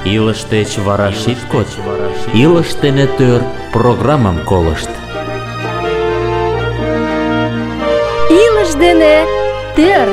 Илыш деч вара шит код, илыш дене төр программым колышт. Илыш дене төр.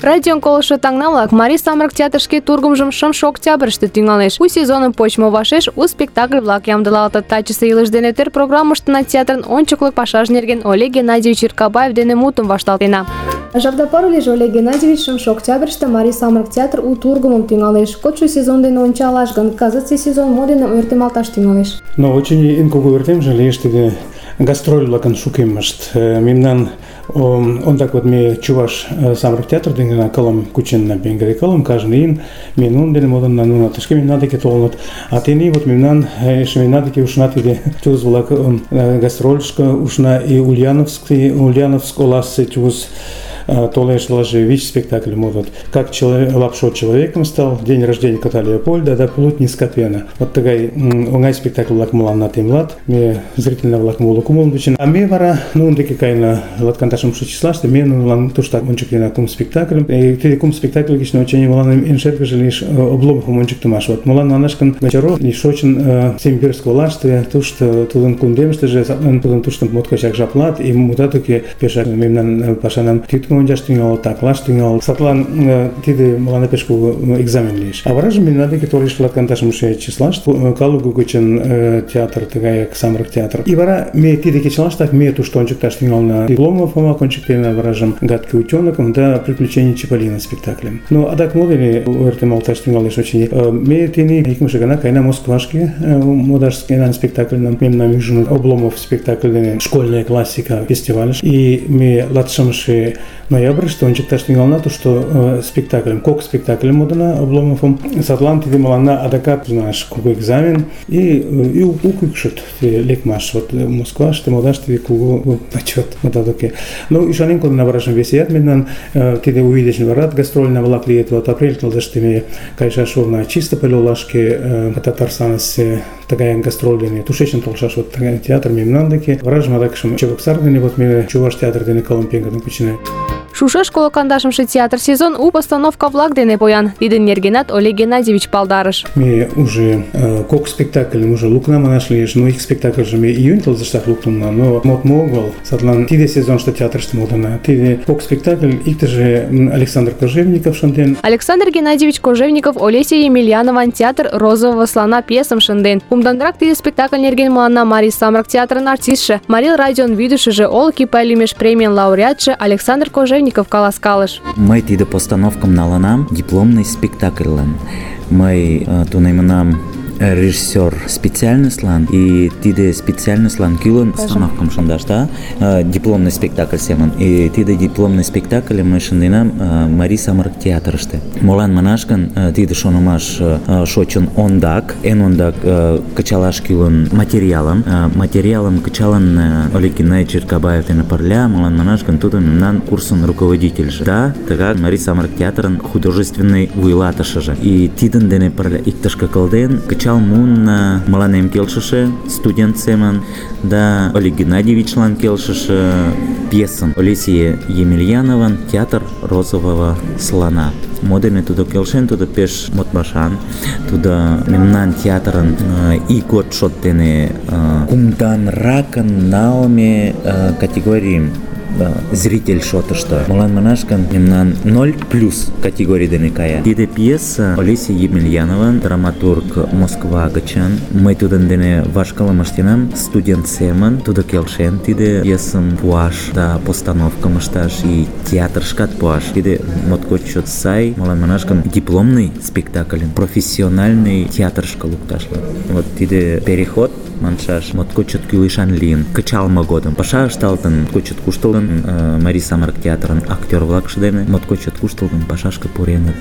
Радион колышо таҥна-влак, Марий самырык театр шке тургымжым 6 октябрьыште тӱҥалеш. У сезоным почмо вашеш у спектакль-влак ямдылалтыт. Тачысе «Илыш дене төр» программыштына театрын ончыклык пашаж нерген Олег Геннадьевич Иркабаев дене мутым вашталтена. Жапда пару лийже, Олег Геннадьевич, 6 октябрьыште Марий самырык театр у тургымым тӱҥалеш. Кодшо сезон дене ончалаш гын, кызытсе сезон мо дене ойыртемалташ тӱҥалеш? Но очень эн кугу ойыртемже лиеш тиде гастроль-влакын шукемышт. Мемнан ондак вот ме чуваш самырык театр дене кылым кученна, бенгере кылым кажне ийын ме нунын дене модынна, нуно тышке мемнан деке толыныт. А тений вот мемнан эше мемнан деке ушна тиде тюз-влак гастрольышко ушна и Ульяновск оласе тюз толеш даже ВИЧ спектакль модут. Как Лапшо человеком стал, день рождения кота Леопольда, да плоть не скотвена. Вот такой оңай спектакль влак мулан на темлат, ме зрительно влак мулу кумул бичин. А ме вара, ну он таки кайна латканташем числа, что ме ну туштак ончик на кум спектакль. И ты кум спектакль гишно очень мулан иншерка же лишь обломов ончик тумаш. Вот мулан на нашкан вечеро лишь очень сембирского лаштве, то что туден кундем, что же туден туштан моткачак жаплат и мутатуки пешак мемнан пашанам титку ончаш тӱҥале, таклаш тӱҥале. Садлан тиде мыланна пеш кугу экзамен лиеш. А варажым мемнан деке толеш латканташымше числаште Калугу гычын театр, тыгаяк самырык театр. И вара ме тиде кечылаштак ме тушто ончыкташ тӱҥална. Дипломов ончыктена варажым «Гадкий утенокым» да «Приключения Чиполлино» спектаклем. Но адак мо дене ойыртемалташ тӱҥалеш очыни. Ме тений икымше гана каена Москвашке модаш спектакльнам. Мемнан ӱжын Обломов спектакль дене «Школьная классика» фестивальыш. И ме 26 ноябрьыште ончыкташ тӱҥална тушто спектакльым, кок спектакльым модына Обломовым. Садлан тиде мыланна адакат наш кугу экзамен и укыкшыт лекмаш. Вот Москваште модаш тиде кугу почет модадоке. Ну ӱшанен кодына варажым весеят мемнан тиде увидечный варат гастрольный-влак лийыт. Вот апрель тылзыште ме кайышаш улына Чистополь олашке Татарстанысе тыгаяк гастроль дене тушечын толшаш вот тыгай театр мемнан деке. Варажым адакшым Чебоксар дене вот ме Чуваш театр дене кылым пеҥгыдын кучена. Шушеш коло кандашымше театр сезон у постановка-влак дене поян. Тидын нергенат Олег Геннадьевич палдарыш. Ме уже кок спектакльым уже лукна манаш лиеш, но их спектакль же ме июнь тылзыштак луктынна, но модмо огыл. Садлан тиде сезонышто театрыште модына. Тиде кок спектакль иктыже Александр Кожевников шынден. Александр Геннадьевич Кожевников Олеся Емельянован театр «Розового слона» пьесым шынден. Кумданрак тиде спектакль нерген мыланна Марий самырык театрын артистше, Марий радион вӱдышыжӧ, Олык Ипай лӱмеш премийын лауреатше Александр Кожевников каласкалыш. Мый тиде постановкым налынам дипломный спектакльлан. Мый тунемынам режиссер специальностьлан и тиде специальностьлан кӱлын постановкым шындаш, да, дипломный спектакль семын. И тиде дипломный спектакль мый шынденам Марий самырык театрыште. Молан манаш гын, тиде шонымаш шочын ондак, эн ондак кычалаш кӱлын материалым кычалын Олег Геннадьевич Иркабаев дене пырля, молан манаш гын, тудо мемнан курсын руководительже, да, тыгак Марий самырык театрын художественный вуйлатышыже. И тидын дене пырля иктышке кылден кычал мун мыланем келшыше студент семын, да Олег Геннадьевичлан келшыше пьесым Олеся Емельянован «Театр розового слона». Модене тудо келшен, тудо пеш модмашан, тудо мемнан театрын игот шот дене кумданракын налме категорийым зритель шотышто. Молан манаш гын, мемнан 0+ категорий дене кая. Тиде пьеса Олеся Емельянован, драматург Москва гычын. Мый тудын дене вашкылым ыштенам студент семын. Тудо келшен тиде пьесым пуаш да постановкым ышташ и театрышкат пуаш. Тиде моткоч чот сай. Молан манаш гын, дипломный спектакль, профессиональный театрышка лукташлан. Вот тиде переход маншаш моткочет кӱлешан лийын. Кычалме годым паша ышталтын, моткочет куштылгын Марий самырык театрын актёр-влакше дене моткочет куштылгын пашашке пуреныт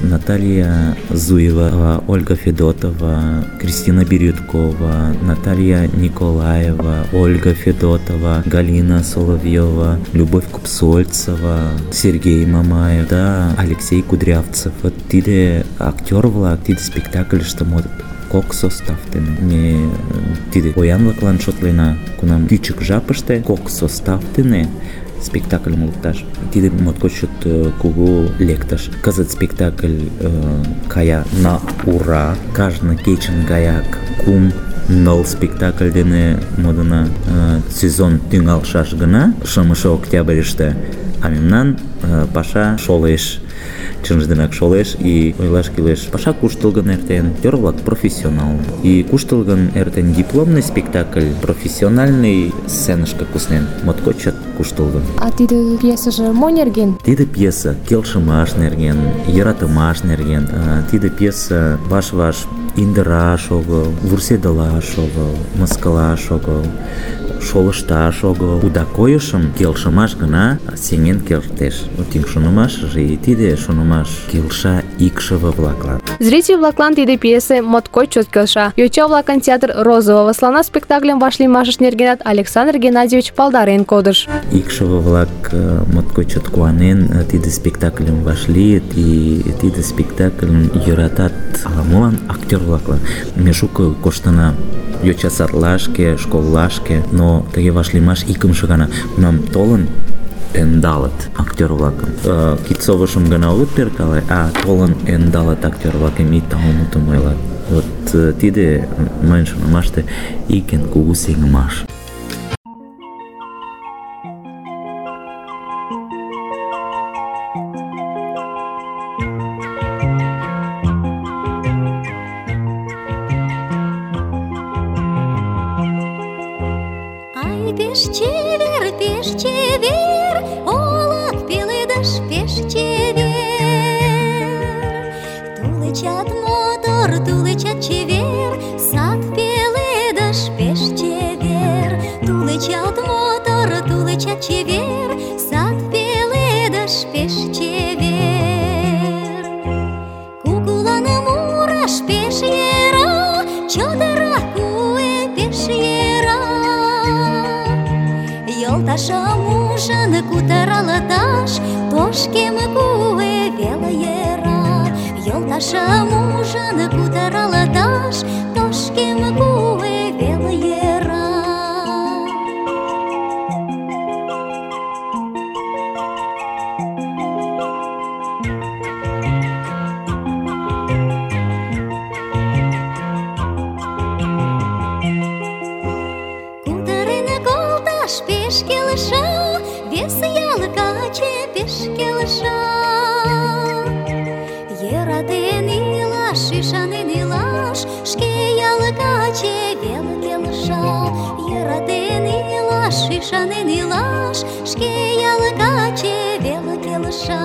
Наталья Зуева, Ольга Федотова, Кристина Бирюткова, Наталья Николаева, Ольга Федотова, Галина Соловьева, Любовь Купсольцева, Сергей Мамаев, да, Алексей Кудрявцев. Вот тиде актёр-влак, тиде спектакльыште модыт. Кок составтыны. Ме тиде поян-влаклан шотлена, кунам кӱчык жапыште кок составтыны спектакльым лукташ. Тиде моткоч чот кугу лектыш. Кызыт спектакль кая на ура. Кажне кечын гаяк 3-4 спектакль дене модына сезон тӱҥалшаш гына 5 октябрьыште, а мемнан паша шолеш. Чынже денак шолеш, и ойлаш кӱлеш, паша куштылгын эртен, актёр-влак профессионал. И куштылгын эртен дипломный спектакль, профессиональный сценышке куснен, моткоч чот куштылгын. А тиде пьесыже мо нерген? Тиде пьеса келшымаш нерген, йӧратымаш нерген. Тиде пьеса ваш-ваш индыраш огыл, вурседылаш огыл, мыскылаш огыл, шолышташ огыл. Уда койышым келшымаш гына сеҥен кертеш. Тӱҥ шонымашыже и тиде шонымаш келша икшыве-влаклан. Зритель-влаклан тиде пьесе моткоч чот келша. Йоча-влакын театр «Розового слона» спектакльым вашлиймашышт нергенат Александр Геннадьевич палдарен кодыш. Икшыве-влак моткоч чот куанен тиде спектакльым вашлийыт, и тиде спектакльым йӧратат ала-молан актёр-влаклан. Ме шуко коштына йоча-садлашке, школлашке, но тыге вашлиймаш икымше гана. Тунам толын ӧндалыт актёр-влакым. Кидсовышым гына огыт перкале, а толын ӧндалыт актёр-влакым и таумутым ойлат. Вот тиде мыйын шонымаште ик эн кугу сеҥымаш. Пеш чевер, олак пеледыш пеш чевер. Тулычат мотор, тулычат чевер, сад пеледыш пеш чевер. Тулычат мотор, тулычат чевер, сад пеледыш пеш чевер. Кукуланы мураш пеш йӧра, чодыра куэ пеш йӧра. Йолташым ужын кутыралыташ, тошкем куэ веле йӧра. Йолташым ужын кутыралыташ, тошкем куэ веле йӧра. Кутырен колташ пеш келша, вес ял каче пеш келша. Йӧратен илаш, ӱшанен илаш, шке ял каче веле келша. Йӧратен илаш, ӱшанен илаш, шке ял каче веле келша.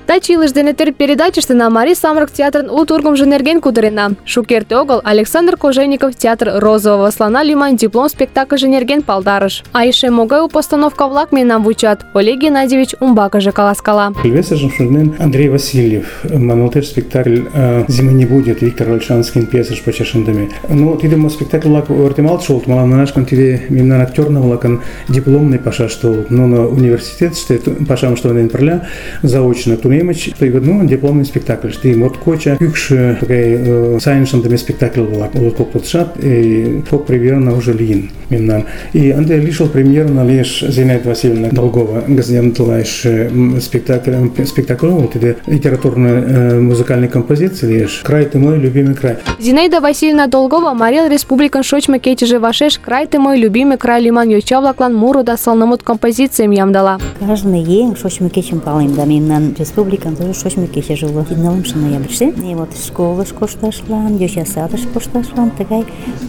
Таче илыш дене төр передачыштына Марий самырык театрын у тургымжо нерген кутырена. Шукерте огыл Александр Кожевников театр «Розового слона» лӱман диплом спектакльже нерген палдарыш. А эше могай у постановка-влак мемнам вучат, Олег Геннадьевич умбакыже каласкала. Весыжым шонен Андрей Васильев, маналтеш спектакль «Зимы не будет» Виктор Ольшанскин пьесыш почешындыме. Но тиде спектакль-влак ойыртемалт шолт, мылам манашкан тиде мемнан актёрна-влакын дипломный пашаш толыт. Но на университетыште пашам ыштылын пырля заочно тунемыч, тыйгыдну дипломный спектакль. Ты моткоча кӱкшӧ тыгай сайын шындыме спектакль-влак улыт кок пытшат, кок премьерна уже лийын мемнан. И ынде лишыл премьерна лиеш Зинаида Васильевна Долгова газетылайш спектакль огыл, тиде литературно-музыкальный композиция лиеш «Край ты мой, любимый край». Зинаида Васильевна Долгова Марий республикын шочмо кечыже вашеш «Край ты мой, любимый край» лӱман йоча-влаклан муро да сылнымут композицийым ямдыла. Каждый еҥ шочмо кечым палем, да мемнан республикан тоже шочмо кечыже уло. 9 ноябрьыште и вот школыш кошташлан, йоча садыш кошташлан тыгай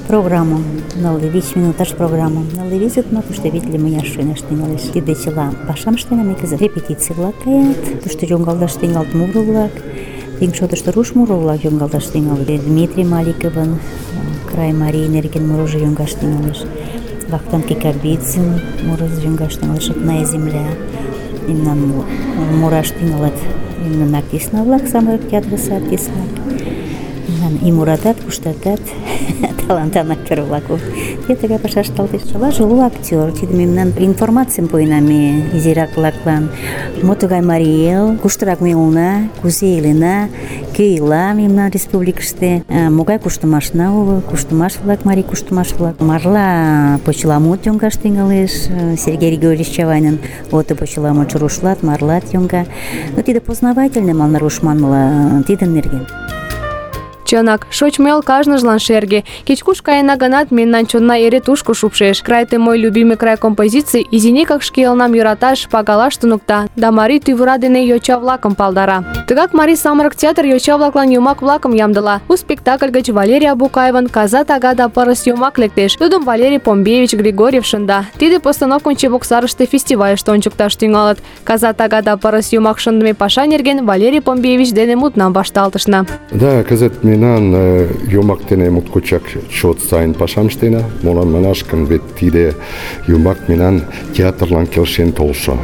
программам, 5 минуташ программам. 5 минутыште витле мыняр шуйнаш тӱҥалеш. Тиде чыла пашам ыштена ме кызыт. Репетиций-влак каят, тушто йоҥгалташ тӱҥалыт муро-влак, тӱҥ шотышто руш муро-влак йоҥгалташ тӱҥалыт. Дмитрий Маликовын «Край Марий» нерген мурыжо йоҥгаш тӱҥалеш. Вахтанг Кикабидзин мурыжо йоҥгаш тӱҥалеш. «Родная земля». Мемнан мураш тӱҥалыт мемнан артист-влак, самырык театрысе артист-влак. и муратат, куштатат, талантан актер-влак. Те тыгай пашаш талтеш. Чылаже уло актер. Тиде мемнан информацийым пуэна ме изирак-влаклан. Мо тугай марий эл, куштырак ме улына, кузе илена, кӧ ила мемнан республикыште, могай куштымашна уло, куштымаш-влак, марий куштымаш-влак. Марла почеламут йоҥгаш тӱҥалеш. Сергей Григорьевич Чавайнын ото почеламутшо рушлат, марлат йоҥга. Но тиде познавательный манын руш манмыла тидын нерген. Чынак, шочмо эл кажныжлан шерге. Кеч-куш каена гынат, мемнан чонна эре тушко шупшеш. «Край ты мой любимый край» композиций изинекак шке элнам йӧраташ, пагалаш туныкта да марий тӱвыра дене йоча-влакым палдара. Тыгак Марий самырык театр йоча-влаклан йомак-влакым ямдыла. У спектакль гыч Валерий Абукаевын «Каза тага да пырыс» йомак лектеш. Тудым Валерий Помбеевич Григорьев шында. Тиде постановкым Чебоксарыште фестивальыште ончыкташ тӱҥалыт. «Каза тага да пырыс» йомак шындыме паша нерген Валерий Помбеевич дене мутнам вашталтышна. Да, кызыт мемнан йомак дене моткочак чот сайын пашам ыштена. Молан манаш гын, вет тиде йомак мемнан театрлан келшен толшо.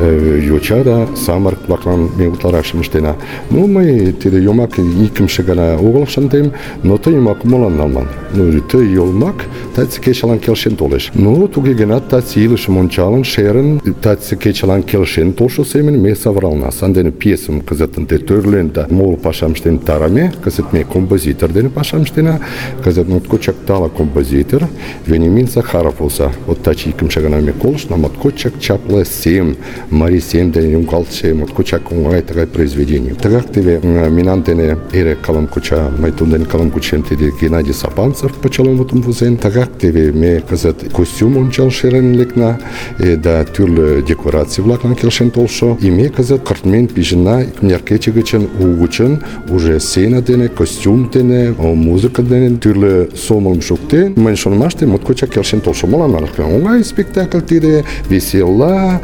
Йоча да самырык-влаклан ме утларакшым ыштена. Ну, мый тиде йомак икымше гана огыл шындем, но ты йомак молан налман? Ну, ты йомак таче кечылан келшен толеш. Ну, туге гынат таче илышым ончалын, шерын, таче кечылан келшен толшо семын ме савырална. Сандене пьесым кызыт ынде тӧрлен да моло пашам ыштен тараме. Кызыт ме композитор дене пашам ыштена. Кызыт моткочак тале композитор Вениамин Захаров болса. Вот таче икымше гана ме колыштна, моткочак чапле сем, Марий сем дене йоҥгалтше моткочак оҥай тыгай произведений. Тыгак теве мемнан дене эре кылым куча, мый тудын дене кылым кучем, тиде Геннадий Сапанцев почеламутым возен. Тыгак теве ме кызыт костюм ончал шерен лекна, да тӱрлӧ декораций-влаклан келшен толшо. И ме кызыт кыртмен пижына икмыняр кече гычын угычын уже сцена дене, костюм дене, музыка дене тӱрлӧ сомылым шуктен. Мыйын шонымаште моткочак келшен толшо. Молан манаш гын, оҥай спектакль тиде, весела,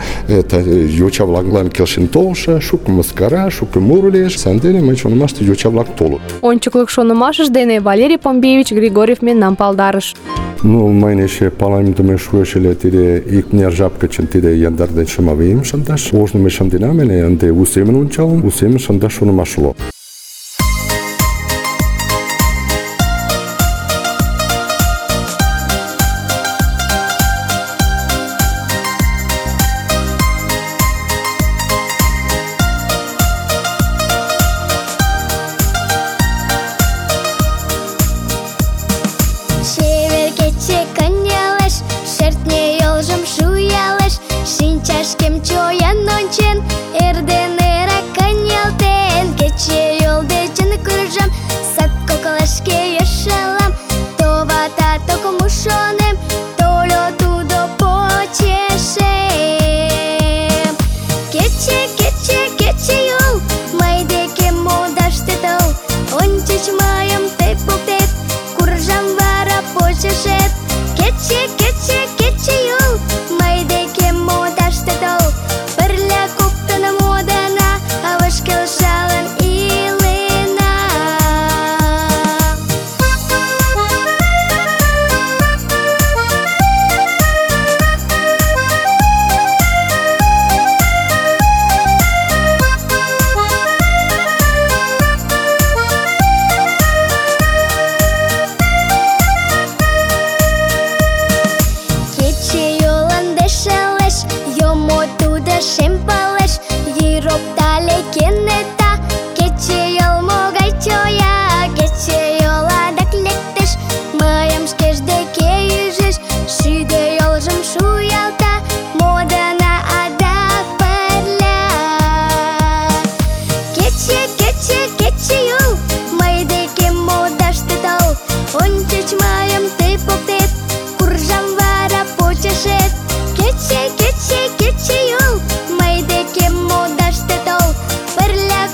йоча-влаклан келшен толшо, шуко мыскара, шуко муро лиеш. Сандене мыйын шонымаште йоча-влак толыт. Ончыклык шонымашыж дене Валерий Помбеевич Григорьев мемнам палдарыш. Ну, мыйын эше паламдыме шуэш ыле тиде икмыняр жап гычын тиде яндар ден шымавийым шындаш. Ожно ме шынденам ыле, ынде у семын ончалын, у семын шындаш шонымаш уло. Кече, кече, кече юл, мый декем модаш те тол, пырля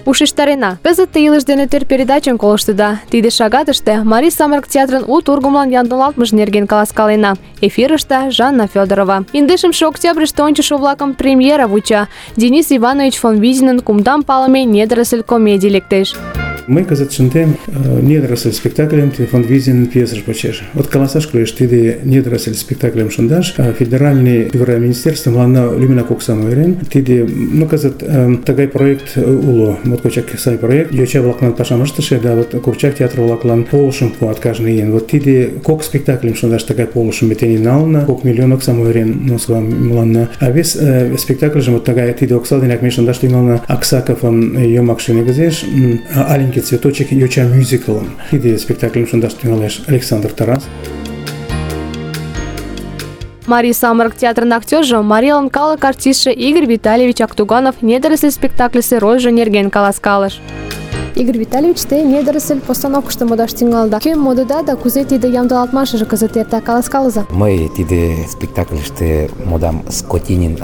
ушештарена. Кызыт те «Илыш дене тӧр» передачым колыштыда. Тиде шагатыште Марий самырык театрын у тургымлан ямдылалтмыж нерген каласкалена. Эфирыште Жанна Федорова. 15 октябрьыште ончышо-влакым премьера вуча. Денис Иванович фон Визинын кумдан палыме «Недоросль» комедий лектеш. Мый кызыт шындем «Недоросль» спектакльым фон Визин пьесыш почеш. Вот каласаш кӱлеш, тиде «Недоросль» спектакльым шындаш федеральный федеральный министерство мыланна лӱмынак оксам ойырен. Тиде кызыт тыгай проект уло, моткочак сай проект. Йоча-влаклан пашам ыштыше да вот курчак театр-влаклан полышым пуат кажне ийын. Вот тиде кок спектакльым шындаш тыгай полышым ме тений налына, 2 миллион оксам ойырен Москва мыланна. А вес спектакльжым вот тыгай тиде окса денак ме шындаш тӱҥална Аксаковын йомакше негізеш «Аленький цветочек» йоча мюзиклым. Тиде спектакльым шындаш тӱҥалеш Александр Тарас. Марий самырык театрын актёржо, марийлан калык артистше Игорь Витальевич Актуганов «Недоросль» спектакльысе рольжо нерген каласкалыш. Игорь Витальевич, те «Недоросль» постановкышто модаш тӱҥалда. Кӧм модыда да кузе тиде ямдылалтмашыже кызыт эрта, каласкалыза. Мый тиде спектакльыште модам Скотинин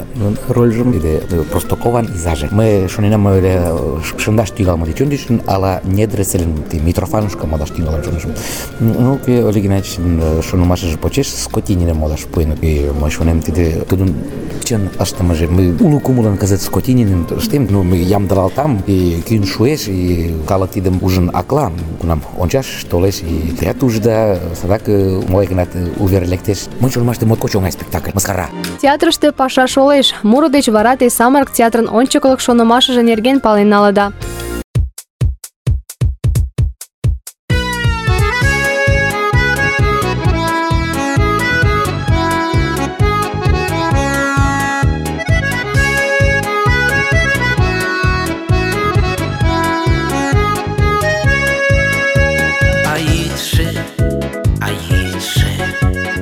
рольжым, тиде Простакован изаже. Мый шоненам ыле шындаш тӱҥалме деч ончычын ала «Недоросльым» Митрофанушка модаш тӱҥалын шонышым. Олег Геннадьевичын шонымашыже почеш Скотининым модаш пуэныт. Мый шонем, тиде тудын чын ыштымыже. Мый уло кумылын кызыт Скотининым ыштем, мый ямдылалтам, кӱн шуэш, калык тидым ужын акла, кунам ончаш толеш, теат ужыда, садак могай гынат увер лектеш. Мый шонымаште моткоч оҥай спектакль, мыскара. Театрыште паша шолеш. Муро деч вара те самырык театрын ончыклык шонымашыже нерген пален налыда.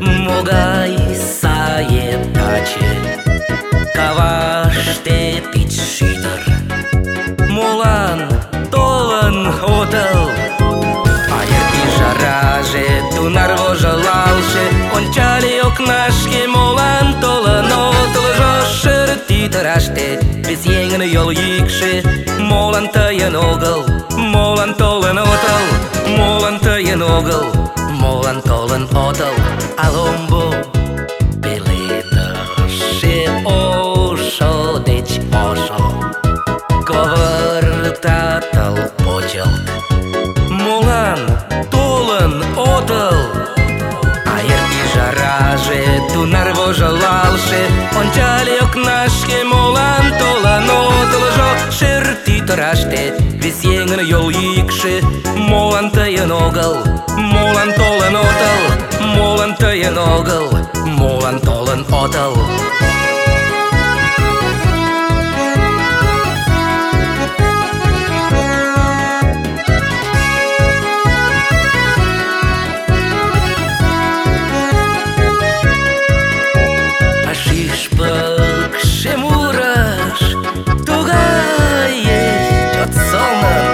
Могай сае таче, каваште пич шӱдыр, молан толын отыл? Айыр ӱжараже тунар вожылалше, ончале окнашке, молан толын отылжо? Шыр тӱтыраште вес еҥын йол йӱкшӧ, молан тыйын огыл, молан толын отыл? Молан тыйын огыл, молан толын отыл? А ломбо пеледыше ошо деч ошо ковыртатыл почылт. Молан толын отыл? Айыр ӱжараже тунар вожылалше, ончале окнашке, молан толын отылжо? Шер тӱтыраште вес еҥын йол йӱкшӧ, молан тыйын огыл, молан толын отыл? Молан тыйын огыл, молан толын отыл? А шӱшпыкшӧ мурыш, тугае чот сылнын,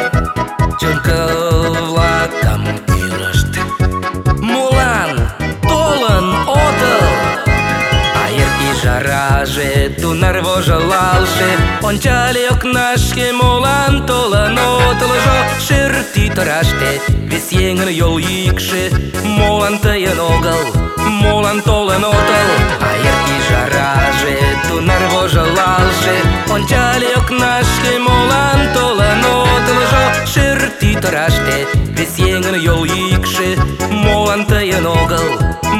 чонко-влакым кӱрышт. Молан толын отыл? Айыр ӱжараже тунар вожылалше, ончале окнашке, молан толын отылжо? Шер тӱтыраште вес еҥын йол йӱкшӧ, молан тыйын огыл, молан толын отыл? Айыр ӱжараже тунар вожылалше, ончале окнашке, молан толын отылжо? Шер тӱтыраште вес еҥын йол йӱкшӧ, молан тыйын огыл,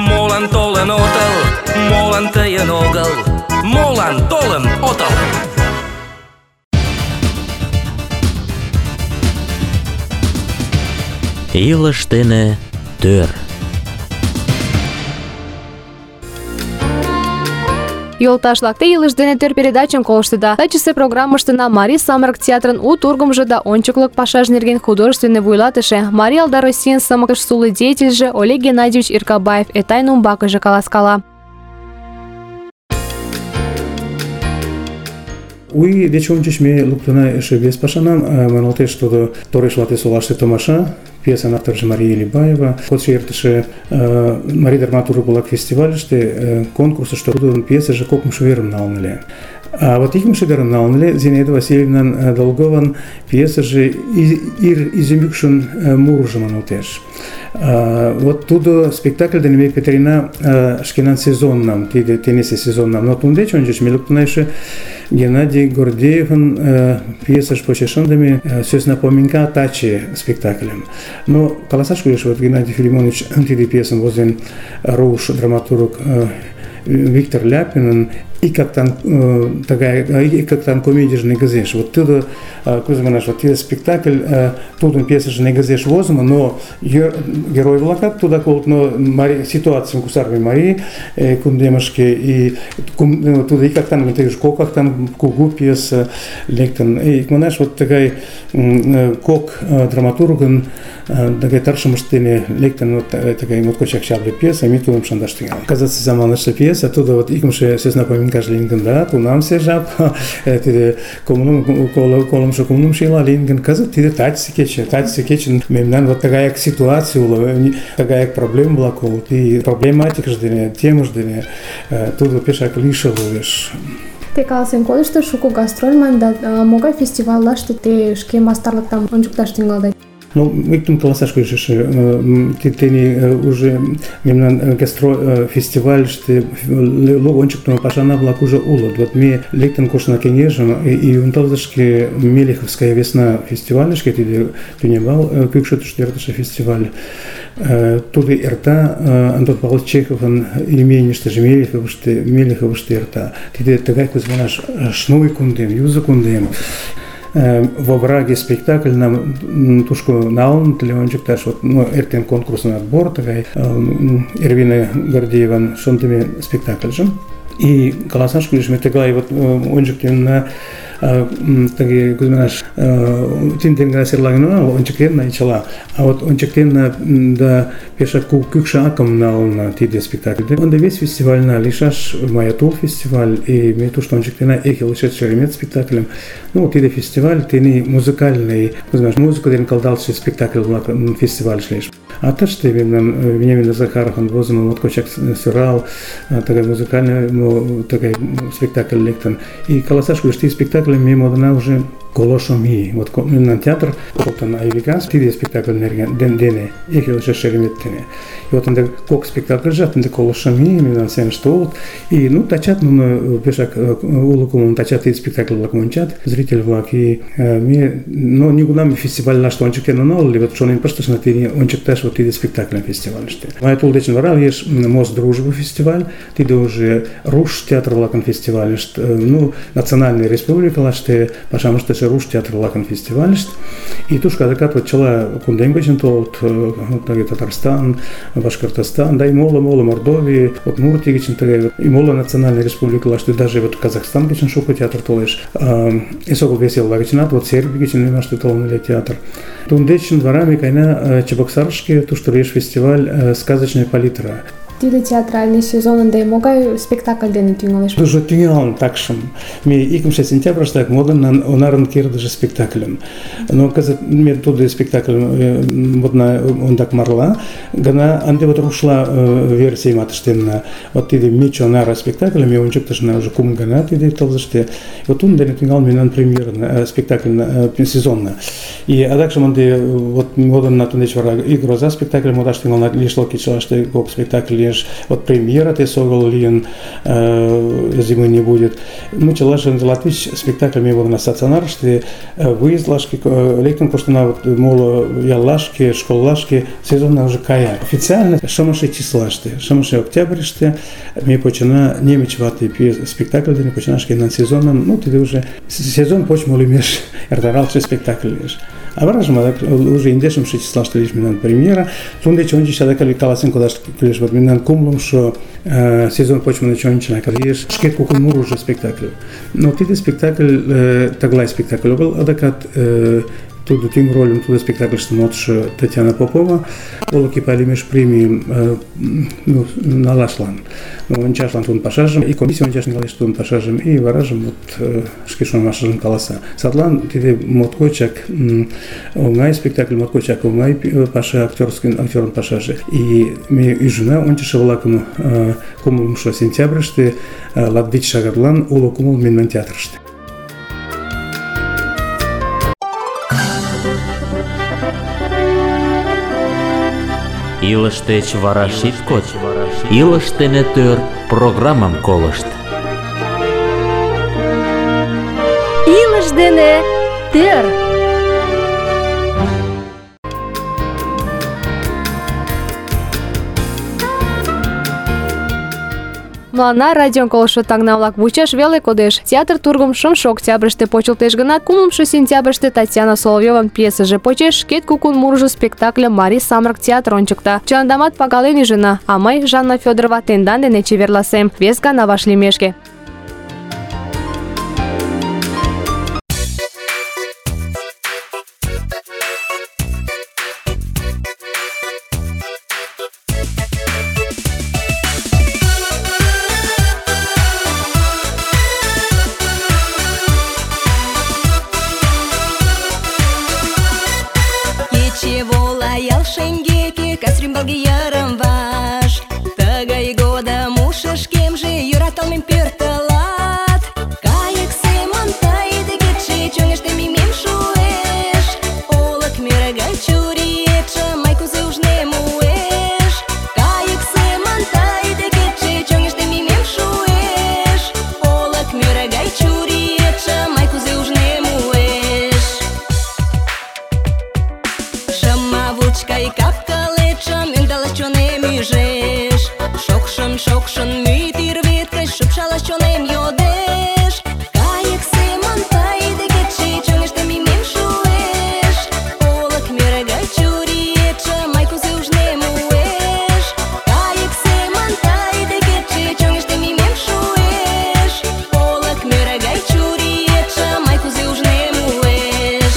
молан толын отыл? Молан тыйын огыл, молан толын отыл? «Илыш дене тӧр». Йолташ-влак, те «Илыш дене тӧр» передачым колыштыда. Тачысе программыштына Марий самырык театрын у тургымжо да ончыклык пашаж нерген художественный вуйлатыше, Марий Алда Российын сымыкыш сулы деятельже Олег Геннадьевич Иркабаев Этайн умбакыже каласкала. Уй деч ончыч ме луктына эше вес пашанам, маналтеш тудо Тореш вате солаште томаша, пьесан авторжо Мария Илибаева. Кодшо эртыше Марий драматург-влак фестивальыште конкурсышто тудын пьесыже кокымшо верым налын ыле. А вот икмше гараналнеле Зинаида Васильевна Долгован пьеса же ир изюмюкшин муржеман утеш. Вот туда спектакль денеме Петрина шкинан сезоннам, тенесе сезоннам. Но тундеч он же мелуктнайше Геннадий Гордеевын пьеса ж почешандами сөз напоминка тачи спектаклем. Но колоссаж кулеш вот Геннадий Филимонович антиди пьесам возен руш драматург Виктор Ляпин и как там комедия же не газеш. Вот туда, кузманаш, вот этот спектакль, тут он пьеса же не газеш возьма, но герой влакат туда колт, но ситуация кусарви Марии, кундемашки и туда и как там ты как там кугу пьеса лектан. И манаш вот такая кок драматурган, такая таршамштыне лектан вот такая вот кочак шабли пьеса, ми тудом шандаштыгал. Казаться заманашта пьеса, туда вот икмше сез напомин каждый линген да, тунам се жаб, тиде колом шо комнум шила линген казат тиде тачси кечен, мемнан вот такая ситуация ула, такая проблема была кол, и проблематика ждене, тема ждене, туда пешак лишал увеш. Те каласен кодышто шуко гастрольман да могай фестивальлаште те шке мастарлыктам ончукташ тӱҥалда? Ну, мы тут колоссаж кое-что, ты уже мемнан фестиваль, что логончик там пашана была уже улот. Вот мы лектен кошна кенежем и унталдашки Мелиховская весна фестиваль, что ты не бал, как что четвертый фестиваль. Тут и рта Антон Павлович Чехов он имение что же Мелихов что рта. Ты такая как наш шной кундем, юза кундем. Во враге спектакль нам тушку наун телевизиончик таш вот эртен конкурсный отбор такой Ирвина Гордеева шонтами спектакль же и колоссаж лишь мы такая вот ончик на такие кузьминаш тинтенга серлагна ончик на начала а вот ончик на да пеша кукша аком на тиде спектакль он да весь фестиваль на лишаш Маятул фестиваль и мы то что ончик на эхил шеремет спектаклем ну вот тиде фестиваль тени музыкальный кузьминаш музыку ден колдался спектакль фестиваль шлиш а то что Вениамин Захаров он возьму вот кочак сырал такой музыкальный такой спектакль лектан и колоссаж лишь спектакль мимо дана уже колошоми вот на театр вот на Айвикас тиде спектакль дене эхил шереметтене и вот он как спектакль жат на колошоми на сцене что и ну тачат ну пешак улукум тачат и спектакль лакмончат зритель влак и ми но никуда мы фестиваль наш тончик на нол ли вот что не просто на тиде ончик таш вот тиде спектакль фестиваль что Маятул дечен варал еш мост дружбы фестиваль тиде уже руш театр лакан фестиваль ну национальная республика лаште потому что руш театр лакан фестиваль и туш когда вот чела кундемгачен тот Татарстан Башкортостан да и мола Мордовия вот Муртигичен и мола национальная республика лаште даже вот Казахстан гичен шуко театр толеш и сокол весел лагичнат вот Сербия гичен наш толный театр тундечен дворами кайна Чебоксаршки то что реш фестиваль сказочная палитра Тиде театральный сезон, да и могай спектакль дене тюнгалеш. Дуже тюнгал такшим. Ми икмше сентябрь так моден на онарен кир даже спектаклем. Но каза ми туди спектакль вот на он так марла, гана анде вот рушла версия матштенна. Вот тиде мичо нара спектакль ми он чукташ на уже кум гана тиде толзаште. Вот он дене тюнгал ми на премьер спектакль сезонна. И адакшим анде вот моден на тунеч вара игра за спектакль модаш тюнгал на лишло кичла что как спектакль вот премьера ты согал лин зимы не будет ну челашен латвич спектакль ми вот на стационар что выезд лашки лектен просто на вот моло ялашки школлашки сезонна уже кая официально шамаши числа что шамаши октябрь что ми почина немечватый спектакль не починашки на сезоном ну ты уже сезон почему лимеш эрдаралчий спектакль лишь а вражма уже индешем числа что лишь минан премьера тунде чончи шада каласен куда лишь вот минан кумлум что сезон почему чончи на калиш шкет кукумур уже спектакль но ты спектакль таглай спектакль был адакат тудо тӱҥ рольым тудо спектакльыште модшо Татьяна Попова олык пайлемеш премийым налашлан, ончашлан тудын пашажым, и комиссия ончаш налеш тудын пашажым, и варажым шке шонымашыжым каласа. Садлан тиде моткочак оҥай спектакль, моткочак оҥай паша, актерын пашаже. И ме ӱжына ончышо-влакым 9 сентябрьыште латвич шагатлан уло кумыл мемнан театрыште. Илыш деч вара шит коч, илыш дене тӧр программам колышт. Илыш дене тӧр. Мыланна радион колышо таҥна-влак вучаш веле кодеш. Театр тургым 5 октябрьыште почылтеш гынат, 9 сентябрьыште Татьяна Соловьёван пьесыже почеш шкет кукун мурыжо спектакльым Марий самырык театр ончыкта. Чыландамат пагален ӱжына, а мый, Жанна Фёдорова, тендан дене чеверласем. Вес гана вашлиймешке. Ял шеҥгеке кас рӱмбалге йырым-ваш, тыгай годым ушышкемже йӧраталмем пӧртылат. Кайык семын тый декетше чоҥештымем шуэш, олык мӧрӧ гай чуриетше мый кузе ужнем уэш. Кайык семын тый декетше чоҥештымем шуэш, олык мӧрӧ гай чуриетше мый кузе ужнем уэш. Шымавучкай кап-кылетшым ӧндалаш чонем ӱжеш, шокшын мӱй тӱрвет гыч шупшалаш чонем йодеш. Кайык семын тый декетше чоҥештымем шуэш, олык мӧрӧ гай чуриетше мый кузе ужнем уэш. Кайык семын тый декетше чоҥештымем шуэш, олык мӧрӧ гай чуриетше мый кузе ужнем уэш.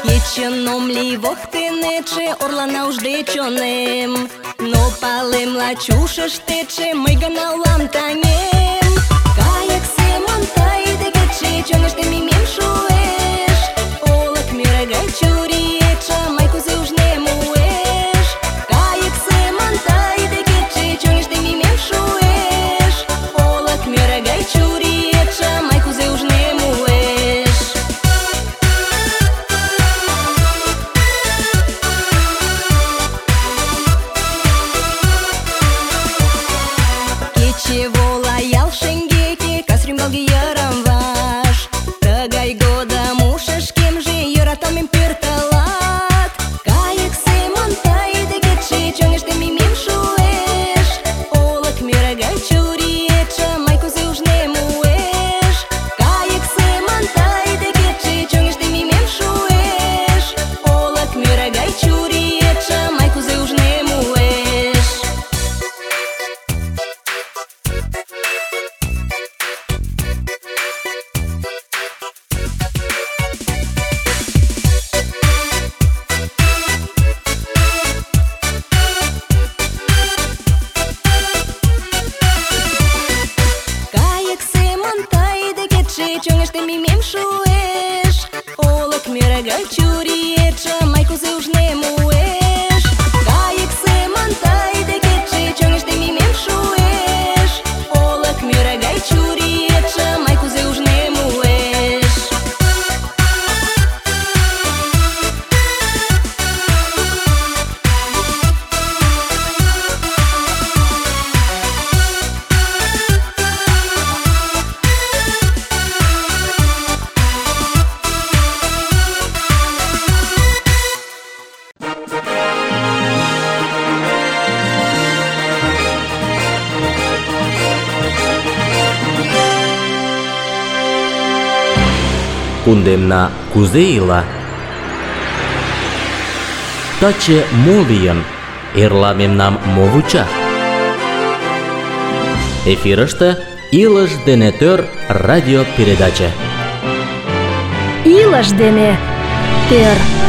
Кечын ом лий воктенетше, орлана ужде чонем, но палем лач ушыштетше мый гына улам таҥем. Кайык семын тый декетше чоҥештымем шуэш, олык мӧрӧ гай чуриетше мый кузе ужнем уэш. Кайык семын тый декетше чоҥештымем шуэш, олык мӧрӧ гай чуриетше мый кузе ужнем уэш. Кече вола ял шеҥгеке кас рӱмбалге йырым-ваш, тыгай годым ушышкемже йӧраталмем пӧртылат. Кайык семын тый декетше чоҥештымем шуэш, олык мӧрӧ гай чуриетше мый кузе ужнем уэш. Кайык семын тый декетше чоҥештымем шуэш, олык мӧрӧ гай чуриетше мый кузе ужнем уэш. Кайык семын тый декетше чоҥештымем шуэш, олык мӧрӧ гай чуриетше мый кузе ужнем уэш. Кайык семын тый декетше чоҥештымем шуэш, олык мӧрӧ гай чуриетше мый кузе ужнем уэш. Кундемна кузе ила? Таче мо лийын? Эрла мемнам мо вуча? Эфирыште «Илыш дене тӧр» радиопередача. Илыш дене тӧр.